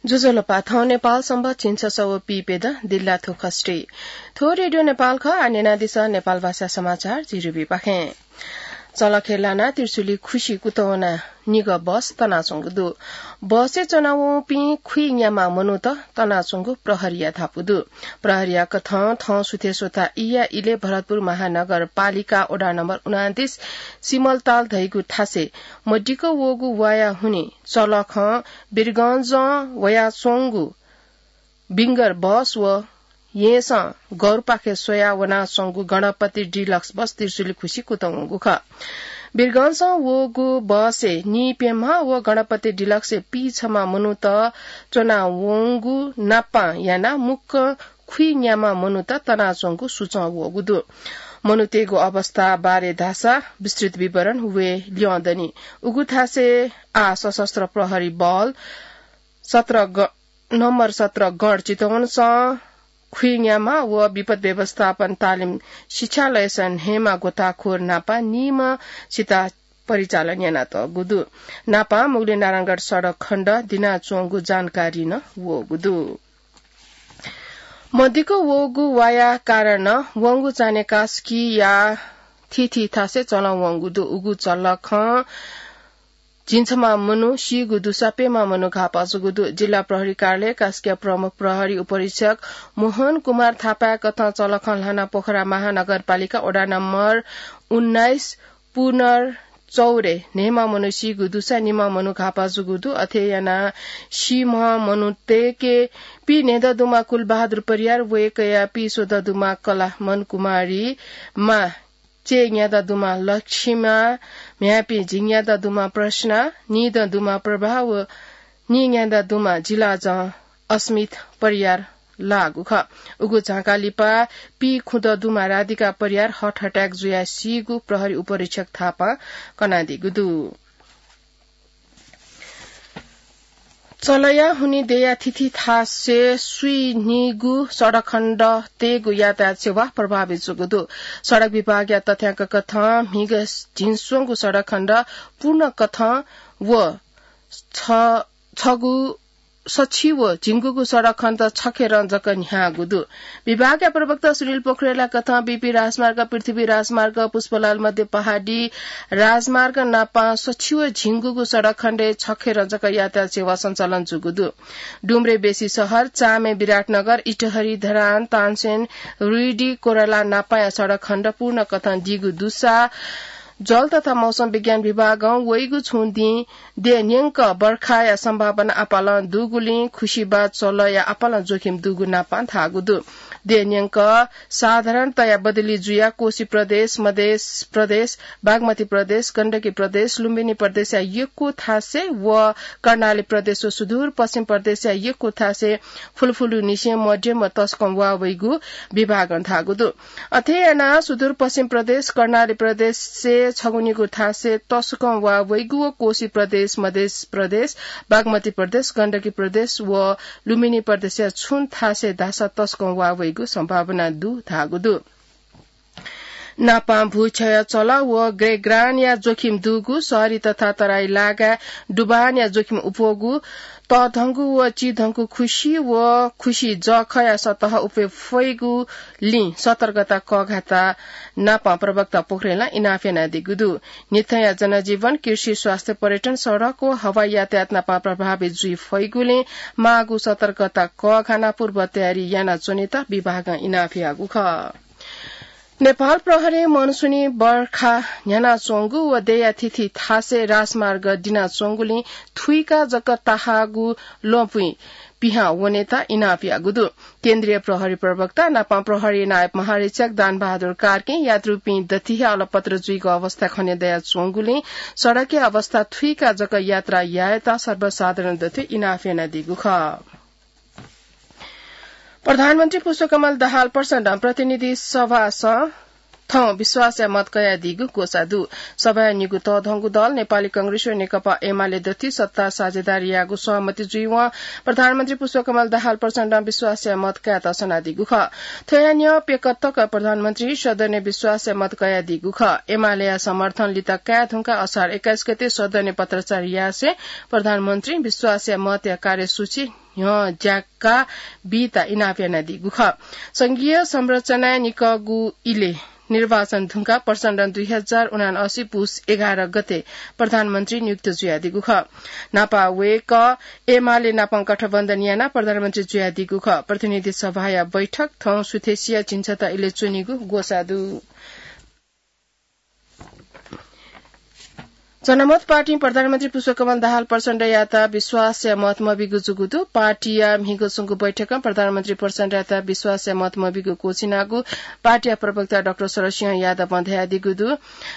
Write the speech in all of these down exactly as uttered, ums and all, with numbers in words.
ज्वजलपा, थौं नेपाल संवत् झिंछसः व पीप्यदँ दिल्ला थुखस्टी। थ्व रेडियो नेपाल खः, आः न्यनादिसँ नेपाल भाषा समाचार झी रुबिपाखें। चलखे लानाः त्रिशुली खुसी कुतवना निगः बस तनाच्वंगु दु। बसय् च्वनावंपिं खुइन्याम्ह मनूत तनाच्वंगु प्रहरीया धापू दु। प्रहरीया कथं थौं सुथय् स्वता ईया इलय् भरतपुर महानगरपालिका वडा नम्बर उनान्तीस सिमलताल धइगु थासय् मदिक्क वःगु वाया हुनिं चलखं वीरगंजं वयाच्वंगु विंगर बस व येँसं गौरपाखे स्वयाः वनाच्वंगु गणपति डिलक्स बस त्रिशुली खुसी कुतवंगु खः। वीरगंजं वःगु बसय् नीप्यम्ह व गणपति डिलक्सय् पीछम्ह मनूत च्वनावंगु नापं यानाः मुक्कं खुइन्याम्ह मनूत तनाच्वंगु सुचं वःगु दु। मनूतय्गु अवस्था बारे धाःसा विस्तृत विवरण वये ल्यं दनि। उगु थासय् आः सशस्त्र प्रहरी बल सत्र ग-, नम्बर सत्र गण चितवनसं खुइन्याम्ह व विपद व्यवस्थापन तालिम शिक्षालयसं न्हय्म्ह गोताखोर नापं नीम्ह सिता परिचालन यानातःगु दु। नापं मुगलिन नारायणगढ सडक खण्ड दिनाच्वंगु जानकारी नं वःगु दु। मदिक्क वःगु वाया कारणं वंगु चान्हय् कास्कीया थीथी थासय् चलं वंगु दु। उगु चलखं झिंछम्ह मनू सीगु दुसा प्यम्ह मनू घाःपाः जूगु दु। जिल्ला प्रहरी कार्यालय कास्कीया प्रमुख प्रहरी उपरीक्षक मोहन कुमार थापाया कथं चलखं ल्हाना पोखरा महानगरपालिका वडा नम्बर उन्नाइस पुनर चौरय् न्हय्म्ह मनू सीगु दुसा निम्ह मनू घाःपाः जूगु दु। अथे यानाः सीम्ह मनूतय्के पीन्हय्दँ दुम्ह कुलबहादुर परियार, वय्कःया पीस्वदँ दुम्ह कलामन कुमारी, मां चय्न्यादँ दुम्ह लक्ष्मा, म्ह्याय्पी झिंन्यादँ दुम्ह प्रश्ना, नीदँ दुम्ह प्रभा व नीन्यादँ दुम्ह जिलाजं अस्मित परियार लाःगु खः। उगु झांकाः लिपा पीखुदँ दुम्ह राधिका परियार heart attack जुयाः सीगु प्रहरी उपरीक्षक थापां कनादीगु दु। चलया हुनिं देया थीथी थासय् स्वीनिगू सडक खण्ड तयेगु यातायात सेवा प्रभावित जूगु दु। सडक विभागया तथ्यांक कथं म्हिगः झिंस्वंगू सडक खण्ड पूर्ण कथं व छ-, छगू सछि व झिंगूगु सडक खण्ड छखेरं जक न्ह्याःगु दु। विभागया प्रवक्ता सुनिल पोखरेलया कथं बीपी राजमार्ग, पृथ्वी राजमार्ग, पुष्पलाल मध्य पहाडी राजमार्ग नापं सछि व झिंगूगु सडक खण्डय् छखेरं जक यातायात सेवा सञ्चालन जूगु दु। डुम्रे बेसी शहर, चामे विराटनगर, इटहरी धरान, तानसेन, रुइडी, कोराला नापाया सडक खण्ड पूर्ण कथं दीगु दुसा जल तथा मौसम विज्ञान विभागं वइगु छुं दिं देय् न्यंक बर्खाया सम्भावना आपालं दुगुलिं खुसिबाः चलया आपालं जोखिम दुगु नापां धाःगु दु। देय् न्यंक साधारणतया बदली जुयाः कोशी प्रदेश, मधेश प्रदेश, बागमती प्रदेश, गण्डकी प्रदेश, लुम्बिनी प्रदेशया यक्व थासय् व कर्णाली प्रदेश व सुदूर पश्चिम प्रदेशया यक्व थासय् फुलफुलुनिसें मध्यम व तसकं वा वइगु विभागं धाःगु दु। अथे यानाः सुदूर पश्चिम प्रदेश, कर्णाली प्रदेशय् छगुनिगू थासय् तसकं वा वइगु व कोशी प्रदेश, मधेश प्रदेश, बागमती प्रदेश, गण्डकी प्रदेश व लुम्बिनी प्रदेशया छुं थासय् धाःसा तसकं वा वइगु सम्भावना दु धाःगु दु। नापां भूक्षय चल व ग्रेग्रानया जोखिम दुगु, शहरी तथा तराई लागाय् डुबानया जोखिम उप्वःगु, तःधंगु व चिधंगु खुसि व खुसि जःखया सतह उप्वये फइगुलिं सतर्कता कःघाःत नापं प्रवक्ता पोखरेलं इनाप यानादीगु दु। न्हिथंया जनजीवन, कृषि, स्वास्थ्य, पर्यटन, सडक व हवाई यातायात नापं प्रभावित जुइ फइगुलिं माःगु सतर्कता कःघानाः पूर्व तयारी यानाच्वनेत विभागं इनाप याःगु खः। नेपाल प्रहरीं मनसुनी बर्खा न्ह्यानाच्वंगु व देया थीथी थासय् राजमार्ग दिनाच्वंगुलिं थुइका जक ताहाःगु लँपुइ पिहां वनेत इनाप याःगु दु। केन्द्रीय प्रहरी प्रवक्ता नापं प्रहरी नायब महारीक्षक दानबहादुर कार्कीं यात्रुपिं दथुइ हे अलपत्र जुइगु अवस्था खने दयाच्वंगुलिं सडकया अवस्था थुइका जक यात्रा यायेत सर्वसाधारण दथुइ इनाप यानादीगु खः। प्रधानमन्त्री पुष्पकमल दाहाल प्रचण्डं प्रतिनिधि सभासं थौं विश्वासया मत कयादीगु ग्वसाः दु। सभाया निगू तःधंगु दल नेपाली कांग्रेस व नेकपा एमाले दथुइ सत्ता साझेदारी यायेगु सहमति जुइवं प्रधानमन्त्री पुष्पकमल दाहाल प्रचण्डं विश्वासया मत कायेत सनादीगु खः। थ्वया न्ह्यः प्यकः तक प्रधानमन्त्री सदनय् विश्वासया मत कयादीगु खः। एमालेया समर्थन लित काये धुंकाः असार एक्काइस गते सदनय् पत्राचार यासें प्रधानमन्त्री विश्वासया मतया कार्यसूची न्ह्यज्याका बीत इनाप यानादीगु खः। संघीय संरचनाय् निकःगु इलय् निर्वाचन धुंकाः प्रचण्डं दुई हजार उनासी पुस एघार गते प्रधानमन्त्री नियुक्त जुयादीगु खः। न्हापा वय्कः एमाले नाप गठबन्धन यानाः प्रधानमन्त्री जुयादीगु खः। प्रतिनिधि सभाया बैठक थौं सुथसिया झिंछता इलय् च्वनीगु ग्वसाः दु। जनमत पार्टीं प्रधानमन्त्री पुष्पकमल दाहाल प्रचण्डयात विश्वासया मत मबीगु जूगु दु। पार्टीया म्हिगः च्वंगु बैठकं प्रधानमन्त्री प्रचण्डयात विश्वासया मत मबीगु क्वःछिनागु पार्टीया प्रवक्ता डाक्टर शरद सिंह यादवं धयादीगु दु।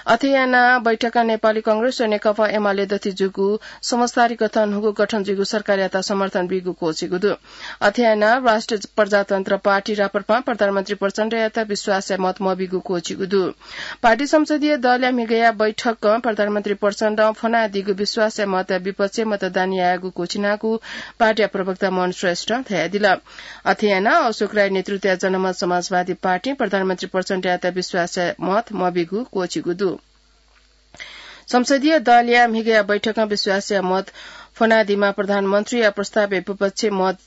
अथे यानाः बैठकं नेपाली कांग्रेस व नेकपा एमाले दथुइ जूगु समझदारी कथं न्हूगु गठन जुइगु सरकारयात समर्थन बीगु क्वःछिगु दु। अथे यानाः राष्ट्रिय प्रजातन्त्र पार्टी, राप्रपां प्रधानमन्त्री प्रचण्डयात विश्वासया मत मबीगु क्वःछिगु दु। पार्टी संसदीय दलया म्हिगःया बैठकं प्रधानमन्त्री प्रचण्डं फ्वनादीगु विश्वासया मतया विपक्षय् मतदान यायेगु क्वःछिनागु पार्टीया प्रवक्ता मोहन श्रेष्ठं धयादिल। अथे यानाः अशोक राय नेतृत्वया जनमत समाजवादी पार्टीं प्रधानमन्त्री प्रचण्डयात विश्वासया मत मबीगु क्वःछिगु दु। संसदीय दलया म्हिगःया बैठकं विश्वासया मत फ्वनादीमा प्रधानमन्त्रीया प्रस्तावय् विपक्षय् मत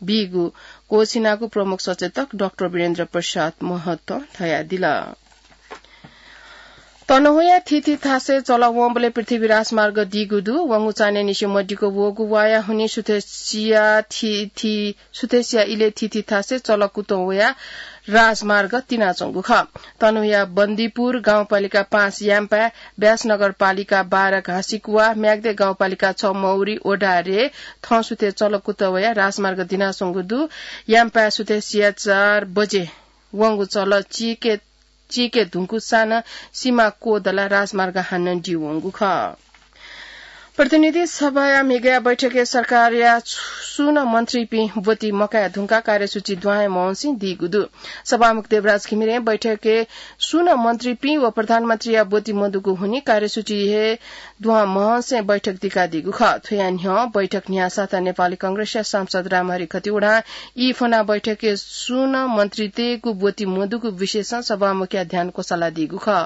बीगु क्वःछिनागु प्रमुख सचेतक डाक्टर वीरेन्द्र प्रसाद महतं धयादिल। तनहुँया थीथी थासय् चलः वंबलय् पृथ्वी राजमार्ग दीगु दु। वंगु चान्हय्‌निसें मदिक्क वःगु वाया हुनिं सुथसिया थीथी, सुथसिया इलय् थीथी थासय् चलः कुतः वयाः राजमार्ग तिनाच्वंगु खः। तनहुँया बन्दीपुर गाउँपालिका पाँच याम्पाय्, ब्यास नगरपालिका बाह्र घाँसीकुवा, म्याग्दे गाउँपालिका छ मौरी ओडारे थौं सुथय् चलः कुतः वयाः राजमार्ग दिनाच्वंगु दु। याम्पाय् सुथसिया चार बजे वंगु चलः चीके, चीके धुंकूसां नं सिमा क्वदलाः राजमार्ग हानं दीवंगु खः। प्रतिनिधि सभाया म्हिगःया बैठकय् सरकारया सुं नं मन्त्रीपिं ब्वति मकाये धुंकाः कार्यसूची दुहां हे महंसें दीगु दु। सभामुख देवराज घिमिरें बैठकय् सुं नं मन्त्रीपिं व प्रधानमन्त्रीया ब्वति मदुगु हुनिं कार्यसूची हे दुहां महंसें बैठक दिकादीगु खः। थ्वया न्ह्यः बैठक न्ह्याःसाथ नेपाली कांग्रेसया सांसद रामहरि खतिवडां ई फ्वनाः बैठकय् सुं नं मन्त्रीतय्‌गु ब्वति मदुगु विषयसं सभामुखया ध्यान क्वसालादीगु खः।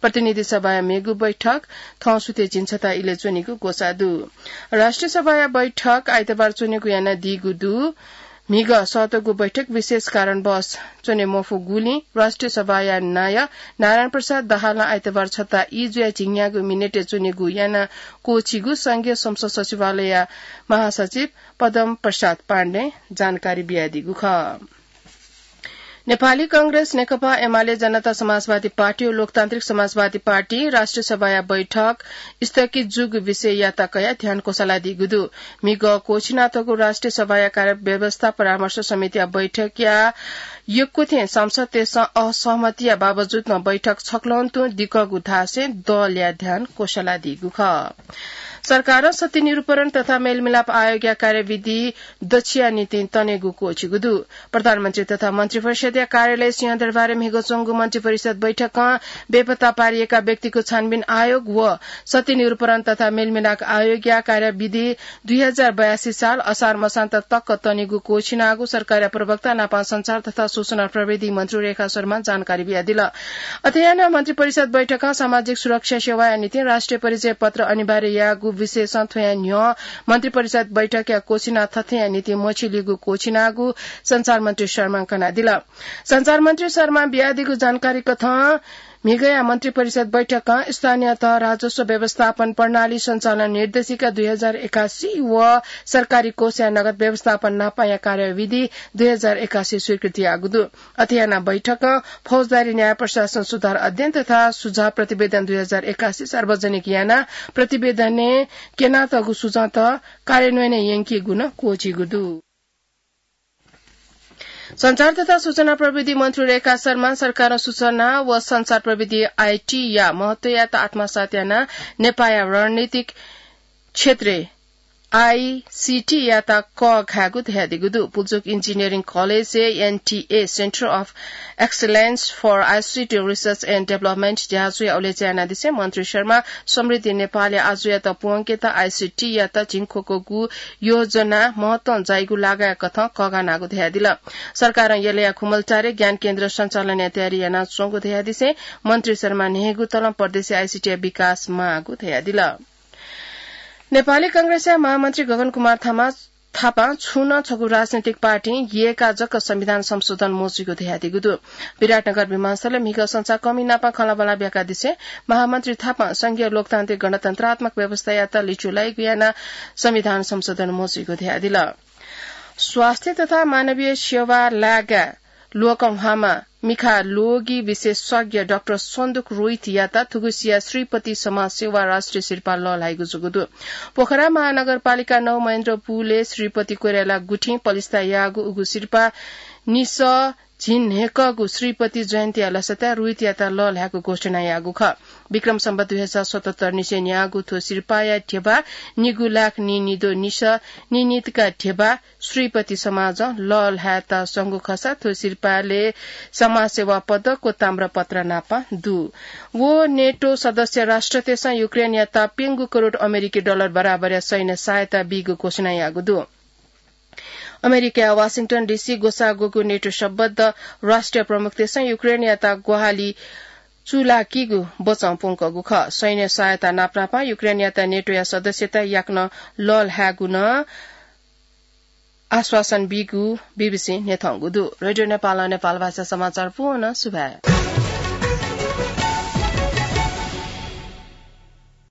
प्रतिनिधि सभाया मेगु बैठक थौं सुथय् झिंछता इलय् च्वनीगु ग्वसाः दु। राष्ट्रिय सभाया बैठक आइतबार च्वनेगु यानादीगु दु। म्हिगः सःतःगु बैठक विशेष कारणवश च्वने मफुगुलिं राष्ट्रिय सभाया नायः नारायण प्रसाद दाहालं आइतबार छता ई जुयाः झिंन्यागू मिनेटय् च्वनेगु यानाः क्वःछिगु संघीय संसद सचिवालयया महासचिव पद्म प्रसाद पाण्डें जानकारी बियादीगु खः। नेपाली कांग्रेस, नेकपा एमाले, जनता समाजवादी पार्टी व लोकतान्त्रिक समाजवादी पार्टीं राष्ट्रिय सभाया बैठक स्थगित जूगु विषययात कयाः ध्यान क्वसालादीगु दु। म्हिगः क्वःछिनातःगु राष्ट्रिय सभाया कार्यव्यवस्था परामर्श समितिया बैठकया यक्व थें सांसदतय्‌सं असहमतिया बावजुद नं बैठक छकलं तुं दिकःगु धासें दलया ध्यान क्वसालादीगु खः। सरकारं सत्य निरूपण तथा मेलमिलाप आयोगया कार्यविधि दछिया निंतिं तनेगु क्वःछिगु दु। प्रधानमन्त्री तथा मन्त्रिपरिषदया कार्यालय सिंहदरबारय् म्हिगः च्वंगु मन्त्रिपरिषद बैठकं बेपत्ता पारिएका व्यक्तिको छानबिन आयोग व सत्य निरूपण तथा मेलमिलाप आयोगया कार्यविधि दुई हजार बयासी साल असार मसान्त तक तनेगु क्वःछिनागु सरकारया प्रवक्ता नापं सञ्चार तथा सूचना प्रविधि मन्त्री रेखा शर्मां जानकारी बियादिल। अथे यानाः मन्त्रिपरिषद बैठकं सामाजिक सुरक्षा सेवाया निंतिं राष्ट्रिय परिचय पत्र अनिवार्य याःगु विषयसं थ्वया न्ह्यः मन्त्रिपरिषद बैठकया क्वःछिना थथेया निंतिं मछिलीगु क्वःछिनागु सञ्चार मन्त्री शर्मां कनादिल। सञ्चार मन्त्री शर्मां बियादीगु जानकारी कथं म्हिगःया मन्त्रिपरिषद बैठकं स्थानीय तह राजस्व व्यवस्थापन प्रणाली सञ्चालन निर्देशिका दुई हजार एकासी व सरकारी कोषया नगद व्यवस्थापन नापाया कार्यविधि दुई हजार एकासी स्वीकृति याःगु दु। अथे यानाः बैठकं फौजदारी न्याय प्रशासन सुधार अध्ययन तथा सुझाव प्रतिवेदन दुई हजार एकासी सार्वजनिक यानाः प्रतिवेदनय् क्यनातःगु सुझावत कार्यान्वयनय् यंकीगु नं क्वःछिगु दु। सञ्चार तथा सूचना प्रविधि मन्त्री रेखा शर्मां सरकारं सूचना व सञ्चार प्रविधि, आईटी, या महत्वयात आत्मसात यानाः नेपाःया रणनीतिक क्षेत्रय् आईसीटी यात कःघायेगु धयादीगु दु। पुल्चोक इन्जिनियरिङ कलेजय् NTA, Centre of Excellence for ICT Research and Development, ज्याझ्वःया उलेचा यानादिसें मन्त्री शर्मां समृद्धि नेपालया आजुयात प्वंकेत आईसीटी यात झिंख्वःगु योजना महत्वं जाइगु लागाया कथं कःघानागु धयादिल। सरकारं यलया खुमलटारय् ज्ञान केन्द्र सञ्चालनया तयारी यानाच्वंगु धयादिसें मन्त्री शर्मां न्हय्गू तलं प्रदेशय् आईसीटीया विकास माःगु धयादिल। नेपाली कांग्रेसया महामन्त्री गगन कुमार थामा थापां छुं नं छगू राजनैतिक पार्टीं यय्‌काः जक संविधान संशोधन मजुइगु धयादीगु दु। विराटनगर विमानस्थलय् म्हिगः संचार कमी नाप खँल्हाबल्हा ब्याकादिसे महामन्त्री थापां संघीय लोकतान्त्रिक गणतन्त्रात्मक व्यवस्थायात लिचु लाइगु यानाः संविधान संशोधन मजुइगु धयादिल। स्वास्थ्य तथा मानवीय सेवा लाय्‌काः ल्वःकंम्ह मिखा लोगी विशेषज्ञ डाक्टर सन्दुक रोहितयात थुगुसिया श्रीपति समाजसेवा राष्ट्रिय सिरपाः लःल्हाइगु जूगु दु। पोखरा महानगरपालिका नौ महेन्द्रपुलय् श्रीपति कोइराला गुथिं पलिस्था याःगु उगु सिरपाः निसः झिंन्हय्‌कःगु श्रीपति जयन्तीया लसताय् रोहितयात लःल्हायेगु घोषणा याःगु खः। विक्रम सम्वत दुई हजार सतहत्तर निसें न्याःगु थ्व सिरपाःया ध्यबा निगू लाख नीनिद्वः निसः नीनितका ध्यबा श्रीपति समाजं लःल्हायेत संगु खःसा थ्व सिरपालय् समाजसेवा पदक व ताम्रपत्र नाप दु। व नेटो सदस्य राष्ट्रतय्‌सं युक्रेनयात प्यंगू करोड अमेरिकी डलर बराबरया सैन्य सहायता बीगु घोषणा याःगु दु। अमेरिकाया वाशिंटन डीसी ग्वसाः ग्वःगु नेटो सम्बद्ध राष्ट्रिय प्रमुखतय्‌सं युक्रेनयात ग्वाहालि चूलाकीगु बचं प्वंकूगु खः। सैन्य सहायता नापनापं युक्रेनयात नेटोया सदस्यता याकनं लःल्हायेगु नं आश्वासन बीगु बीबीसीं न्ह्यथंगु दु। रेडियो नेपालं नेपाल भाषा समाचार पूवंगु सुभाय्।